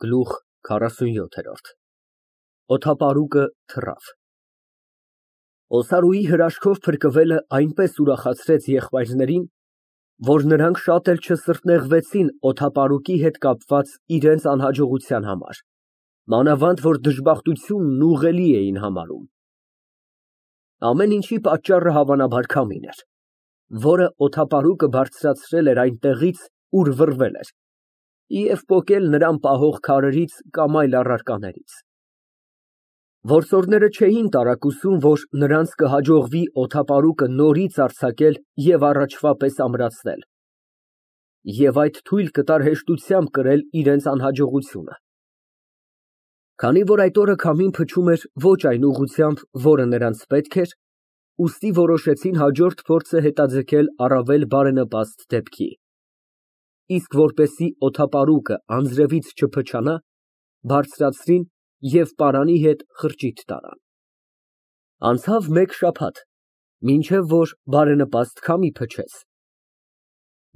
Գլուխ 47 Օդապարուկը թռավ։ Օսարուի հրաշքով փրկվելը այնպես ուրախացրեց եղբայրներին, որ նրանք շատ էլ չսրտնեղվեցին օդապարուկի հետ կապված իրենց անհաջողության համար, մանավանդ որ դժբախտությունն ուղղելի էին համարում։ Ամեն ինչի պատճառը հավանաբար քամին էր, որը օդապարուկը բարձրացրել էր այնտեղից, ուր վռվել էր, և պոկել նրան պահող քարերից կամ այլ առարկաներից։ Որսորդները չէին տարակուսում, որ նրանց կհաջողվի օդապարուկը նորից արձակել և առաջվա պես ամրացնել, և այդ թույլ կտար հեշտությամբ կրել իրենց անհաջողությունը։ Քանի որ այդ օրը քամին փչում էր ոչ այն ուղղությամբ, որը նրանց պետք էր, ուստի որոշեցին հաջորդ փորձը հետաձգել առավել բարենպաստ դեպքի, իսկ որպեսզի օդապարուկը անձրևից չփչանա, բարձրացրին և պարանի հետ խրճիթ տարան։ Անցավ մեկ շաբաթ, մինչև որ բարենպաստ քամի փչեց,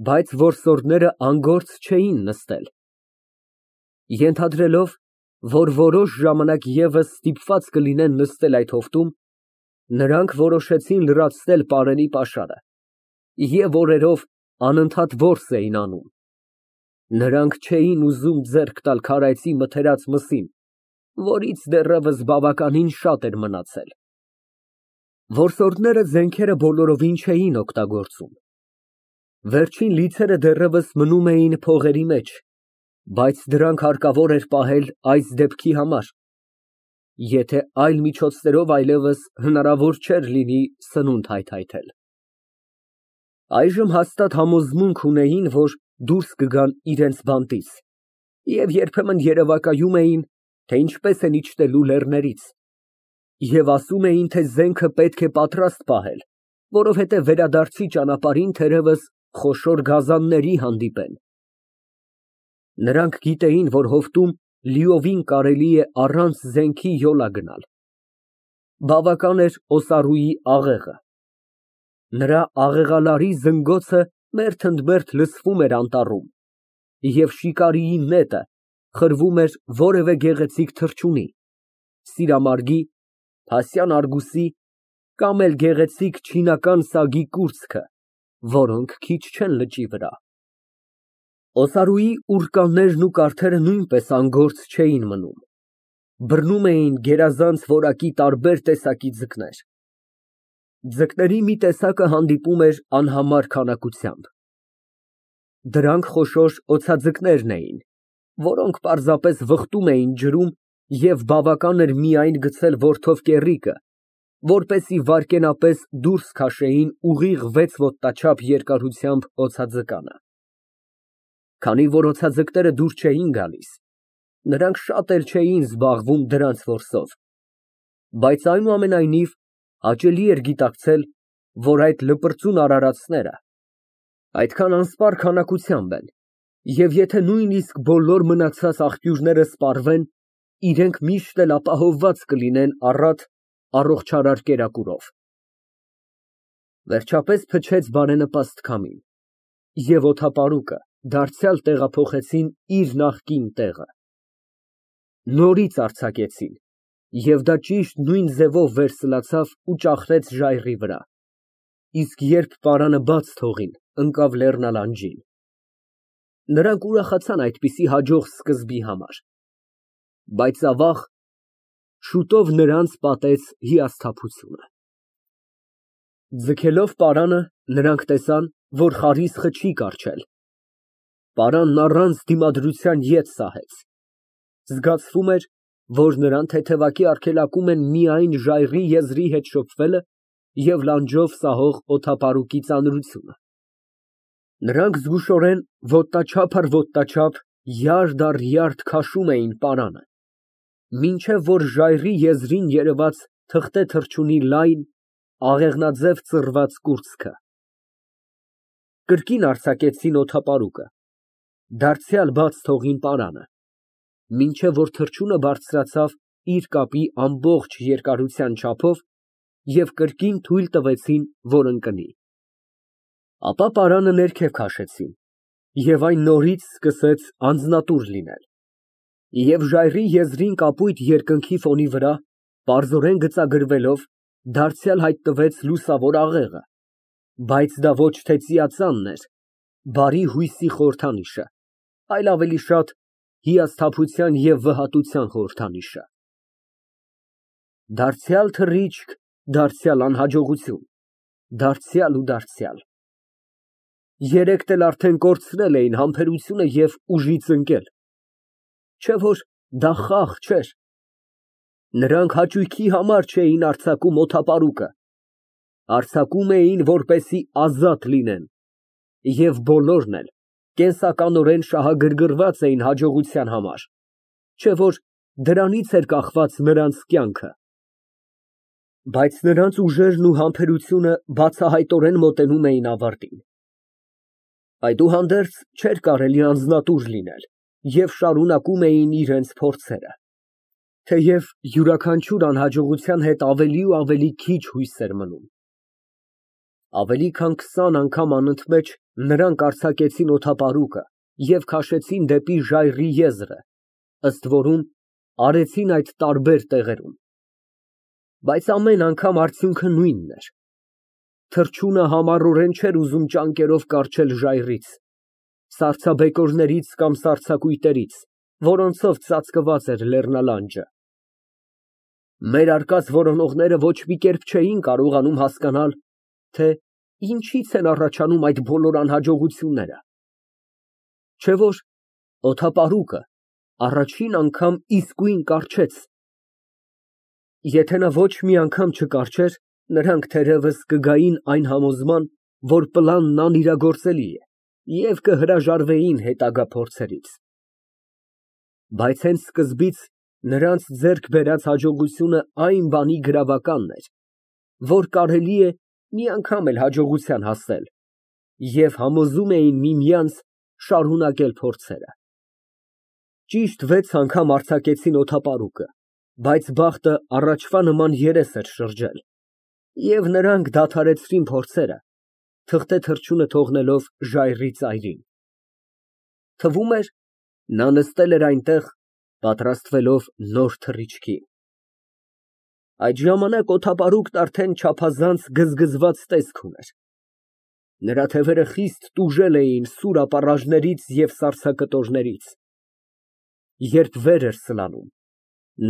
բայց որսորդները անգործ չէին նստել։ Ենթադրելով, որ որոշ ժամանակ ևս ստիպված կլինեն նստել այդ հովտում, նրանք որոշեցին լրացնել պարանի պաշարը և օրերով անընդհատ որս էին անում։ Նրանք չէին ուզում ձեռք տալ քարայծի մթերած մսին, որից դեռևս բավականին շատ էր մնացել։ Որսորդները զենքերը բոլորովին չէին օգտագործում։ Վերջին լիցերը դեռևս մնում էին փողերի մեջ, բայց դրանք հարկավոր էր պահել այս դեպքի համար, եթե այլ միջոցներով այլևս հնարավոր չէր լինի սնունդ հայթայթել։ Այժմ հաստատ համոզմունք ունեին, որ դուրս կգան իրենց բանտից և երբեմն երևակայում էին, թե ինչպես են իջնելու լեռներից, և ասում էին, թե զենքը պետք է պատրաստ պահել, որովհետև վերադարձի ճանապարհին թերևս խոշոր գազանների հանդիպեն։ Նրանք գիտեին, որ հովտում լիովին կարելի է առանց զենքի յոլա գնալ։ Բավական էր Օսարուի աղեղը։ Նրա աղեղալարի զնգոցը մերթընդմերթ լսվում էր անտառում, և շիկարիի նետը խրվում էր որևէ գեղեցիկ թռչունի, սիրամարգի, փասյան արգուսի կամ էլ գեղեցիկ չինական սագի կուրծքը, որոնք քիչ չեն լճի վրա։ Օսարուի ուռկաներն ու կարթերը նույնպես անգործ չէին մնում, բռնում էին գերազանց որակի տարբեր տեսակի ձկներ։ Ձկների մի տեսակը հանդիպում էր անհամար քանակությամբ։ Դրանք խոշոր օձաձկներն էին, որոնք պարզապես վխտում էին ջրում և բավական էր միայն գցել որդով կեռիկը, որպեսզի վայրկենապես դուրս քաշեին ուղիղ 6 ոտնաչափ երկարությամբ օձաձկանը։ Քանի որ օձաձկները դուր չէին գալիս, նրանք շատ էլ չէին զբաղվում դրանց որսով, բայց այնուամենայնիվ հաճելի էր գիտակցել, որ այդ լպրծուն արարածները այդքան անսպառ քանակությամբ են, և եթե նույնիսկ բոլոր մնացած աղբյուրները սպառվեն, իրենք միշտ էլ ապահովված կլինեն առատ առողջարար կերակուրով։ Վերջապես փչեց բարենպաստ քամին, և օդապարուկը դարձյալ տեղափոխեցին իր նախկին տեղը։ Նորից արձակեցին, և դա ճիշտ նույն ձևով վերսլացավ ու ճախրեց ժայռի վրա, իսկ երբ պարանը բաց թողին, ընկավ լեռնալանջին։ Նրանք ուրախացան այդպիսի հաջող սկզբի համար, բայց ավաղ, շուտով նրանց պատեց հիասթափությունը։ Ձգելով պարանը, նրանք տեսան, որ խարիսխը չի կառչել։ Պարանն առանց դիմադրության ետ սահեց։ Զգացվում էր, որ նրան թեթևակի արգելակում են միայն ժայռի եզրի հետ շփվելը և լանջով սահող օդապարուկի ծանրությունը։ Նրանք զգուշորեն ոտնաչափ առ ոտնաչափ յարդ առ յարդ քաշում էին պարանը, մինչև որ ժայռի եզրին երևաց թղթե թռչունի լայն, աղեղնաձև ծռված կուրծքը։ Կրկին արձակեցին օդապարուկը, դարձյալ բաց թողին պարանը, մինչև որ թռչունը բարձրացավ իր կապի ամբողջ երկարության չափով և կրկին թույլ տվեցին, որ ընկնի։ Ապա պարանը ներքև քաշեցին, և այն նորից սկսեց անձնատուր լինել։ Եվ ժայռի եզրին կապույտ երկնքի ֆոնի վրա, պարզորեն գծագրվելով, դարձյալ հայտնվեց լուսավոր աղեղը, բայց դա ոչ թե ծիածանն էր, բարի հույսի խորհրդանիշը, այլ ավելի շատ հիասթափության և վհատության խորհրդանիշը։ Դարձյալ թռիչք, դարձյալ անհաջողություն, դարձյալ ու դարձյալ։ Երեքն էլ արդեն կորցրել էին համբերությունը և ուժից ընկել, չէ որ դա խաղ չէր։ Նրանք հաճույքի համար չէին արձակում օդապարուկը, արձակում էին, որպեսզի ազատ լինեն, և բոլորն էլ կենսականորեն շահագրգռված էին հաջողության համար, չէ որ դրանից էր կախված նրանց կյանքը։ Բայց նրանց ուժերն ու համբերությունը բացահայտորեն մոտենում էին ավարտին։ Այդուհանդերձ չէր կարելի անձնատուր լինել և շարունակում էին իրենց փորձերը, թեև յուրաքանչյուր անհաջողության հետ ավելի ու ավելի քիչ հույս էր մնում։ Ավելի քան 20 անգամ անընդմեջ նրանք արձակեցին օդապարուկը և քաշեցին դեպի ժայռի եզրը, ըստ որում արեցին այդ տարբեր տեղերում, բայց ամեն անգամ արդյունքը նույնն էր։ Թռչունը համառորեն չէր ուզում ճանկերով կառչել ժայռից, սառցաբեկորներից կամ սառցակույտերից, որոնցով ծածկված էր լեռնալանջը։ Մեր արկած որոնողները ոչ մի կերպ չէին կարողանում հասկանալ, թե ինչից են առաջանում այդ բոլոր անհաջողությունները, չէ որ օդապարուկը առաջին անգամ իսկույն կառչեց։ Եթե նա ոչ մի անգամ չկառչեր, նրանք թերևս կգային այն համոզման, որ պլանն անիրագործելի է և կհրաժարվեին հետագա փորձերից։ Բայց հենց սկզբից նրանց ձեռք բերած հաջողությունը այն բանի գրավականն էր, որ կարելի է մի անգամ էլ հաջողության հասնել, և համոզում էին միմյանց շարունակել փորձերը։ Ճիշտ 6 անգամ արձակեցին օդապարուկը, բայց բախտը առաջվա նման երես էր շրջել, և նրանք դադարեցրին փորձերը, թղթե թռչունը թողնելով ժայռի ծայրին։ Թվում էր, նա նստել էր այնտեղ, պատրաստվելով նոր թռիչքի։ Այդ ժամանակ օդապարուկն արդեն չափազանց գզգզված տեսք ուներ։ Նրա թևերը խիստ տուժել էին սուր ապառաժներից և սառցակտորներից։ Երբ վեր էր սլանում,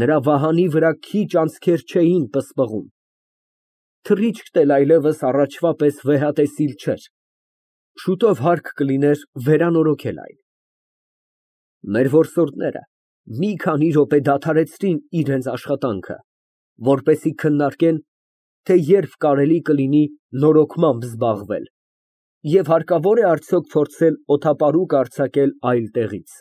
նրա վահանի վրա քիչ անցքեր չէին պսպղում։ Թռիչքն էլ այլևս առաջվա պես վեհատեսիլ չէր, շուտով հարկ կլիներ վերանորոգել այն։ Մեր որսորդները մի քանի րոպե դադարեցրին իրենց աշխատանքը, որպեսզի քննարկեն, թե երբ կարելի կլինի նորոգմամբ զբաղվել և հարկավոր է արդյոք փորձել օդապարուկ արձակել այլ տեղից։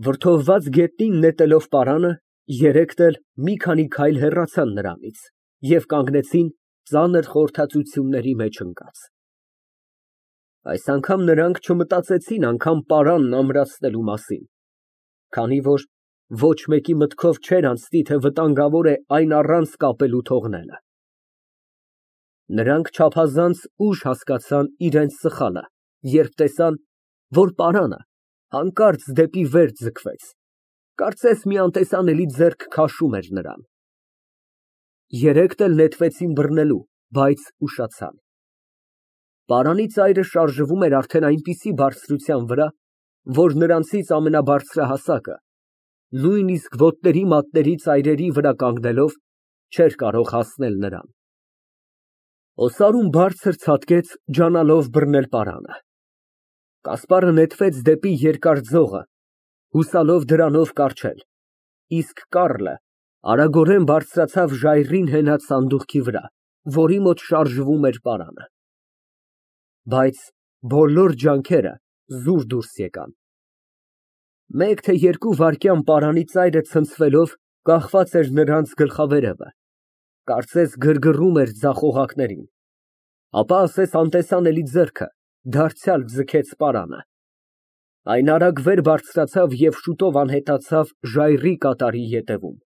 Վրդովված գետնին նետելով պարանը, երեքն էլ մի քանի քայլ հեռացան նրանից և կանգնեցին ծանր խորհրդածությունների մեջ ընկած։ Այս անգամ նրանք չմտածեցին անգամ պարանն ամրացնելու մասին, քանի որ ոչ մեկի մտքով չէր անցնի, թե վտանգավոր է այն առանց կապելու թողնելը։ Նրանք չափազանց ուշ հասկացան իրենց սխալը, երբ տեսան, որ պարանը հանկարծ դեպի վեր ձգվեց, կարծես մի անտեսանելի ձեռք քաշում էր նրան։ Երեքն էլ նետվեցին բռնելու, բայց ուշացան։ Պարանի ծայրը շարժվում էր արդեն այնպիսի բարձրության վրա, որ նրանցից ամենաբարձրահասակը, նույնիսկ ոտների մատների ծայրերի վրա կանգնելով, չէր կարող հասնել նրան։ Օսարուն բարձր ցատկեց, ջանալով բռնել պարանը։ Կասպարը նետվեց դեպի երկար ձողը, հուսալով դրանով կառչել, իսկ Կառլը արագորեն բարձրացավ ժայռին հենած սանդուղքի վրա, որի մոտ շարժվում էր պարանը։ Բայց բոլոր ջանքերը զուր դուրս եկան։ Մեկ թե երկու վայրկյան պարանի ծայրը ցնցվելով կախված էր նրանց գլխավերևը, կարծես գրգռում էր ձախ օղակներին, ապա ասես անտեսանելի ձեռքը դարձյալ ձգեց պարանը։ Այն արագ վեր բարձրացավ և շուտով անհետացավ ժայռի կատարի ետևում։